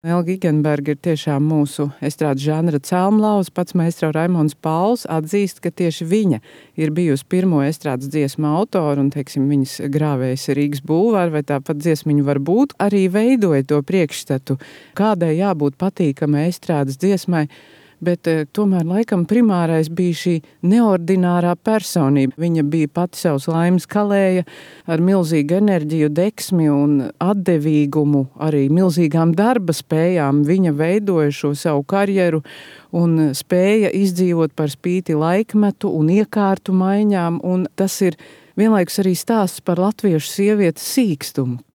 Elga Igenberga ir tiešām mūsu estrādes žanra celmlauz. Pats maestro Raimonds Pauls atzīst, ka tieši viņa ir bijusi pirmo estrādes dziesmu autora un, teiksim, viņas grāvējs Rīgas bulvāri vai tāpat dziesmiņu var būt. Arī veidoja to priekšstatu, kādai jābūt patīkamai estrādes dziesmai, bet tomēr laikam primārais bija šī neordinārā personība. Viņa bija pati savas laimes kalēja ar milzīgu enerģiju, deksmi un atdevīgumu, arī milzīgām darba spējām. Viņa veidoja šo savu karjeru un spēja izdzīvot par spīti laikmetu un iekārtu maiņām, un tas ir vienlaikus arī stāsts par latviešu sievietes sīkstumu.